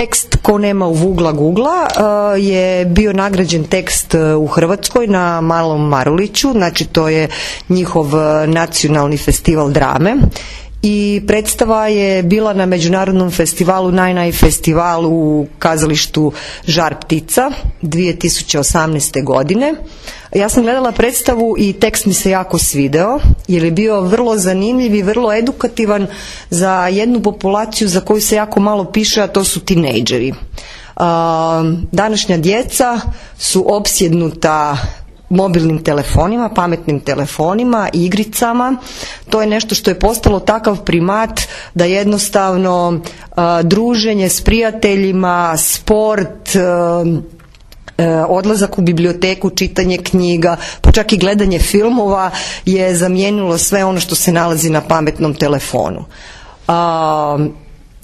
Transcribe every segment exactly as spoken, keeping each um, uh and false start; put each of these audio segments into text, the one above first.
tekst Ko nema u vugla Gugla je bio nagrađen tekst u Hrvatskoj na Malom Maruliću, znači to je njihov nacionalni festival drame. I predstava je bila na međunarodnom festivalu, Naj-Naj festivalu u kazalištu Žar ptica dvije tisuće osamnaeste. godine. Ja sam gledala predstavu i tekst mi se jako svideo, jer je bio vrlo zanimljiv i vrlo edukativan za jednu populaciju za koju se jako malo piše, a to su tinejdžeri. Današnja djeca su opsjednuta mobilnim telefonima, pametnim telefonima, igricama. To je nešto što je postalo takav primat da jednostavno a, druženje s prijateljima, sport, a, a, odlazak u biblioteku, čitanje knjiga, pa čak i gledanje filmova je zamijenilo sve ono što se nalazi na pametnom telefonu. A,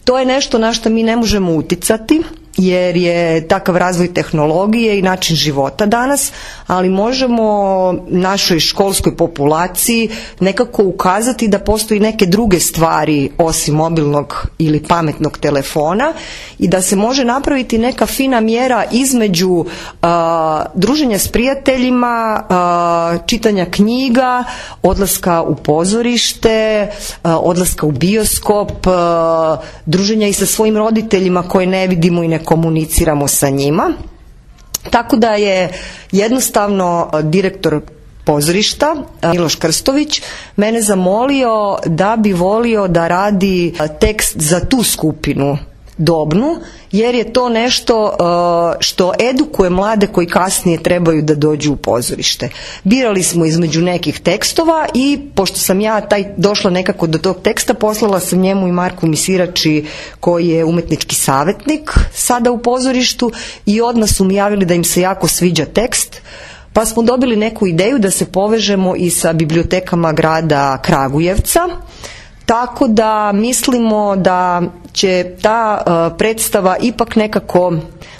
to je nešto na što mi ne možemo uticati, jer je takav razvoj tehnologije i način života danas, ali možemo našoj školskoj populaciji nekako ukazati da postoji neke druge stvari osim mobilnog ili pametnog telefona i da se može napraviti neka fina mjera između uh, druženja s prijateljima, uh, čitanja knjiga, odlaska u pozorište, uh, odlaska u bioskop, uh, druženja i sa svojim roditeljima koje ne vidimo i ne komuniciramo sa njima. Tako da je jednostavno direktor pozorišta Miloš Krstović mene zamolio da bi volio da radi tekst za tu skupinu dobnu, jer je to nešto što edukuje mlade koji kasnije trebaju da dođu u pozorište. Birali smo između nekih tekstova i pošto sam ja taj došla nekako do tog teksta, poslala sam njemu i Marku Misirači koji je umetnički savjetnik sada u pozorištu i odmah su mi javili da im se jako sviđa tekst. Pa smo dobili neku ideju da se povežemo i sa bibliotekama grada Kragujevca. Tako da mislimo da će ta uh, predstava ipak nekako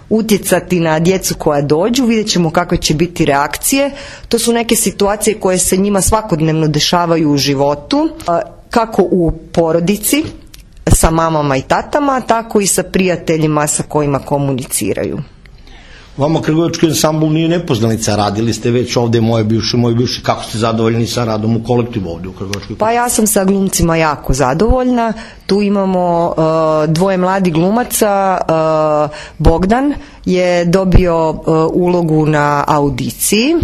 utjecati na djecu koja dođu, vidjet ćemo kakve će biti reakcije. To su neke situacije koje se njima svakodnevno dešavaju u životu, uh, kako u porodici sa mamama i tatama, tako i sa prijateljima sa kojima komuniciraju. Vama Kragujevački ansambl nije nepoznanica, radili ste već ovde moje bivše, moje bivše, kako ste zadovoljni sa radom u kolektivu ovde u Kragujevačkoj? Pa ja sam sa glumcima jako zadovoljna, tu imamo uh, dvoje mladi glumaca, uh, Bogdan je dobio uh, ulogu na audiciji,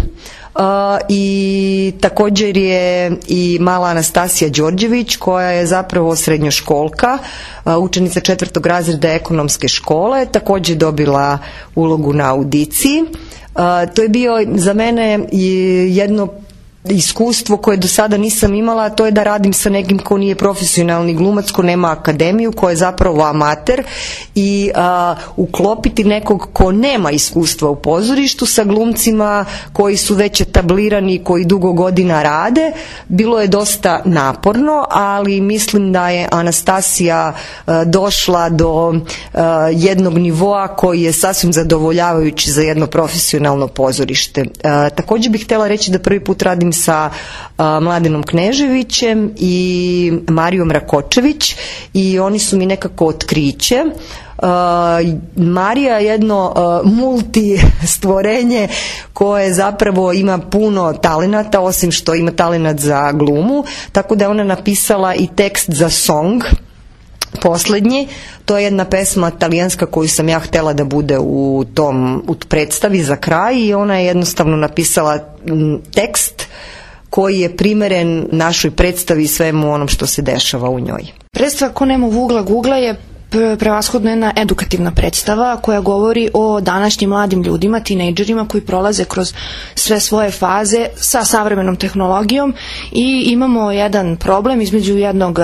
Uh, i također je i mala Anastasija Đorđević koja je zapravo srednjoškolka, uh, učenica četvrtog razreda ekonomske škole, također dobila ulogu na audiciji. Uh, to je bio za mene jedno iskustvo koje do sada nisam imala, to je da radim sa nekim ko nije profesionalni glumac, ko nema akademiju, ko je zapravo amater i a, uklopiti nekog ko nema iskustva u pozorištu sa glumcima koji su već etablirani, koji dugo godina rade. Bilo je dosta naporno, ali mislim da je Anastasija a, došla do a, jednog nivoa koji je sasvim zadovoljavajući za jedno profesionalno pozorište. A, također bih htjela reći da prvi put radim sa a, Mladenom Kneževićem i Marijom Rakočević i oni su mi nekako otkriće. Uh, Marija je jedno uh, multi stvorenje koje zapravo ima puno talenata, osim što ima talenat za glumu, tako da je ona napisala i tekst za song poslednji. To je jedna pesma talijanska koju sam ja htjela da bude u tom u predstavi za kraj i ona je jednostavno napisala m, tekst koji je primeren našoj predstavi i svemu onom što se dešava u njoj. Predstava Ko nema vugla Gugla je prevashodno jedna edukativna predstava koja govori o današnjim mladim ljudima, tinejdžerima koji prolaze kroz sve svoje faze sa savremenom tehnologijom i imamo jedan problem između jednog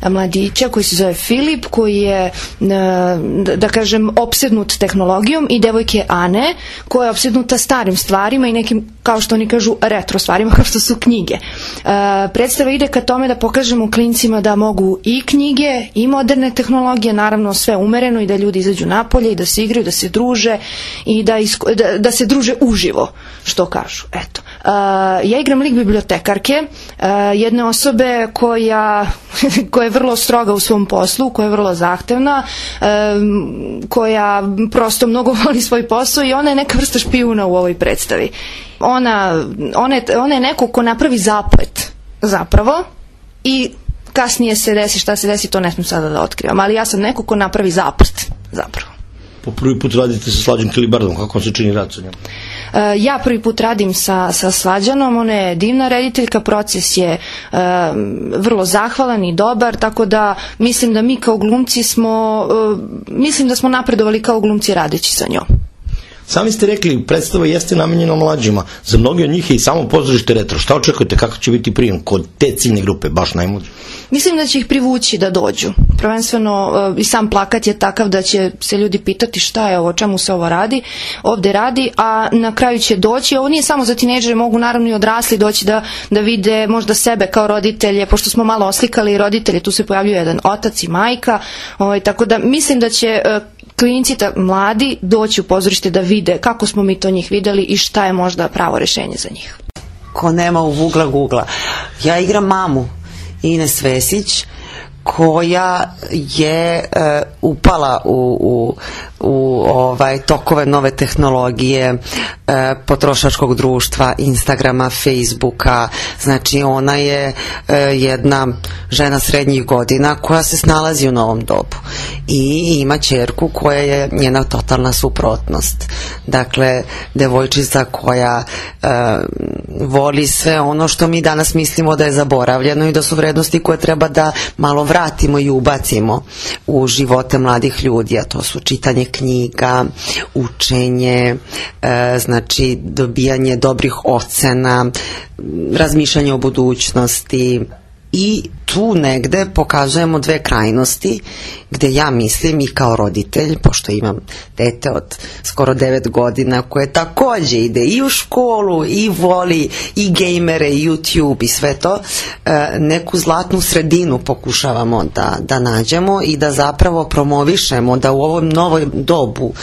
mladića koji se zove Filip, koji je, da kažem, opsednut tehnologijom i devojke Ane koja je opsednuta starim stvarima i nekim, kao što oni kažu, retro stvarima kao što su knjige. Predstava ide ka tome da pokažemo klincima da mogu i knjige i moderne tehnologije, naravno sve umereno i da ljudi izađu napolje i da se igraju, da se druže i da, isko, da, da se druže uživo, što kažu. Eto. Uh, ja igram lik bibliotekarke, uh, jedne osobe koja, koja je vrlo stroga u svom poslu, koja je vrlo zahtevna, uh, koja prosto mnogo voli svoj posao i ona je neka vrsta špijuna u ovoj predstavi. Ona, ona, je, ona je neko ko napravi zaplet zapravo i kasnije se desi šta se desi, to ne smijem sada da otkrivam, ali ja sam neko ko napravi zaplet zapravo. Po prvi put radite sa Slađom Kilibardom, kako vam se čini rad sa njom? Uh, ja prvi put radim sa, sa Slađanom, ona je divna rediteljka, proces je uh, vrlo zahvalan i dobar, tako da mislim da mi kao glumci smo, uh, mislim da smo napredovali kao glumci radeći sa njom. Sami ste rekli, predstava jeste namenjena mlađima. Za mnogi od njih je i samo pozorište retro. Šta očekujete, kako će biti prijem kod te ciljne grupe, baš najmlađe? Mislim da će ih privući da dođu. Prvenstveno i sam plakat je takav da će se ljudi pitati šta je ovo, čemu se ovo radi, ovde radi, a na kraju će doći. Ovo nije samo za tinejdžere, mogu naravno i odrasli doći da, da vide možda sebe kao roditelje, pošto smo malo oslikali i roditelje, tu se pojavljuje jedan otac i majka, ovaj, tako da mislim da će klinci, mladi, doći u pozorište da vide kako smo mi to njih videli i šta je možda pravo rešenje za njih. Ko nema u Vugla Gugla. Ja igram mamu Ines Vesić, koja je uh, upala u, u, u ovaj, tokove nove tehnologije, uh, potrošačkog društva, Instagrama, Facebooka. Znači ona je uh, jedna žena srednjih godina koja se snalazi u novom dobu i ima ćerku koja je njena totalna suprotnost. Dakle, devojčica koja uh, voli sve ono što mi danas mislimo da je zaboravljeno i da su vrednosti koje treba da malo vratimo i ubacimo u živote mladih ljudi, a to su čitanje knjiga, učenje, e, znači dobijanje dobrih ocena, razmišljanje o budućnosti. I tu negde pokazujemo dve krajnosti gde ja mislim i kao roditelj, pošto imam dete od skoro devet godina koje takođe ide i u školu i voli i gejmere i YouTube i sve to, neku zlatnu sredinu pokušavamo da, da nađemo i da zapravo promovišemo da u ovom novoj dobu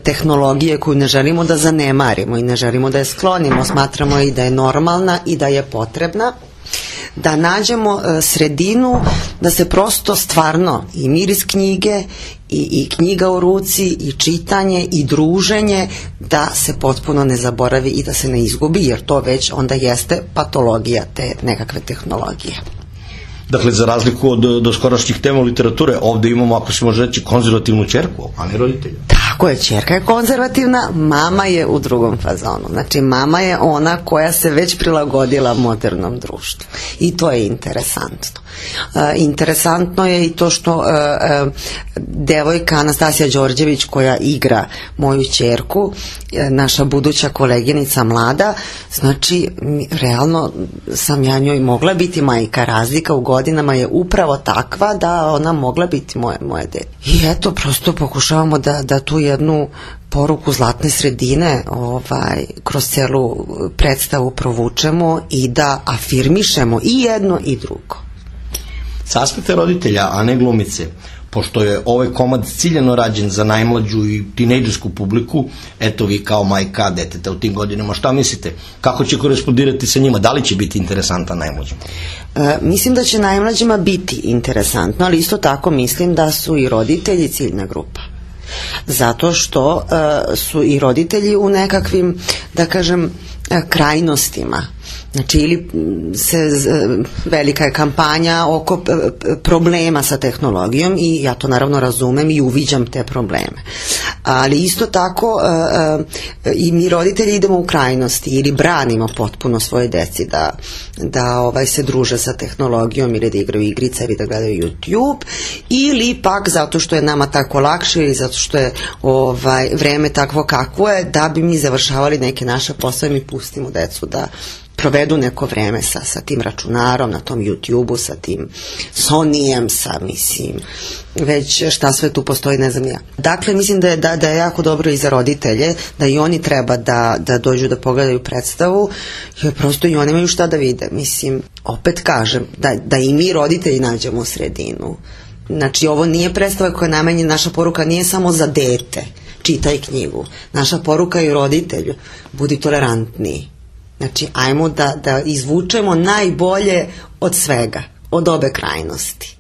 tehnologije koju ne želimo da zanemarimo i ne želimo da je sklonimo, smatramo i da je normalna i da je potrebna, da nađemo sredinu da se prosto stvarno i miris knjige i, i knjiga u ruci i čitanje i druženje da se potpuno ne zaboravi i da se ne izgubi, jer to već onda jeste patologija te nekakve tehnologije. Dakle, za razliku od doskorašnjih tema literature, ovde imamo, ako se može reći, konzervativnu ćerku, a ne roditelja. Tako je, ćerka je konzervativna, mama je u drugom fazonu. Znači, mama je ona koja se već prilagodila modernom društvu. I to je interesantno. Uh, interesantno je i to što uh, uh, devojka Anastasija Đorđević, koja igra moju ćerku, uh, naša buduća koleginica mlada, znači, realno sam ja njoj mogla biti majka. Razlika u godinama je upravo takva da ona mogla biti moje, moje dete. I eto, prosto pokušavamo da, da tu jednu poruku zlatne sredine ovaj, kroz celu predstavu provučemo i da afirmišemo i jedno i drugo. Sa aspekta roditelja, a ne glumice, pošto je ovaj komad ciljano rađen za najmlađu i tinejdžersku publiku, eto vi kao majka deteta u tim godinama, šta mislite? Kako će korespondirati sa njima? Da li će biti interesantan najmlađima? E, mislim da će najmlađima biti interesantno, ali isto tako mislim da su i roditelji ciljna grupa. Zato što uh, su i roditelji u nekakvim, da kažem, krajnostima. Znači, ili se, velika je kampanja oko problema sa tehnologijom i ja to naravno razumem i uviđam te probleme. Ali isto tako i mi roditelji idemo u krajnosti ili branimo potpuno svoje deci da, da ovaj, se druže sa tehnologijom ili da igraju igrice ili da gledaju YouTube, ili pak zato što je nama tako lakše ili zato što je ovaj, vreme takvo kakvo je, da bi mi završavali neke naše poslove, mi pustimo decu da provedu neko vreme sa, sa tim računarom, na tom YouTube-u, sa tim Sonyjem, sa, mislim, već šta sve tu postoji, ne znam ja. Dakle, mislim da je, da, da je jako dobro i za roditelje, da i oni treba da, da dođu da pogledaju predstavu, jer prosto i oni imaju šta da vide. Mislim, opet kažem, da, da i mi roditelji nađemo sredinu, Znači, ovo nije predstava koja je namenjena, naša poruka nije samo za dete, čitaj knjigu. Naša poruka je roditelju, budi tolerantniji. Znači, ajmo da, da izvučemo najbolje od svega, od obe krajnosti.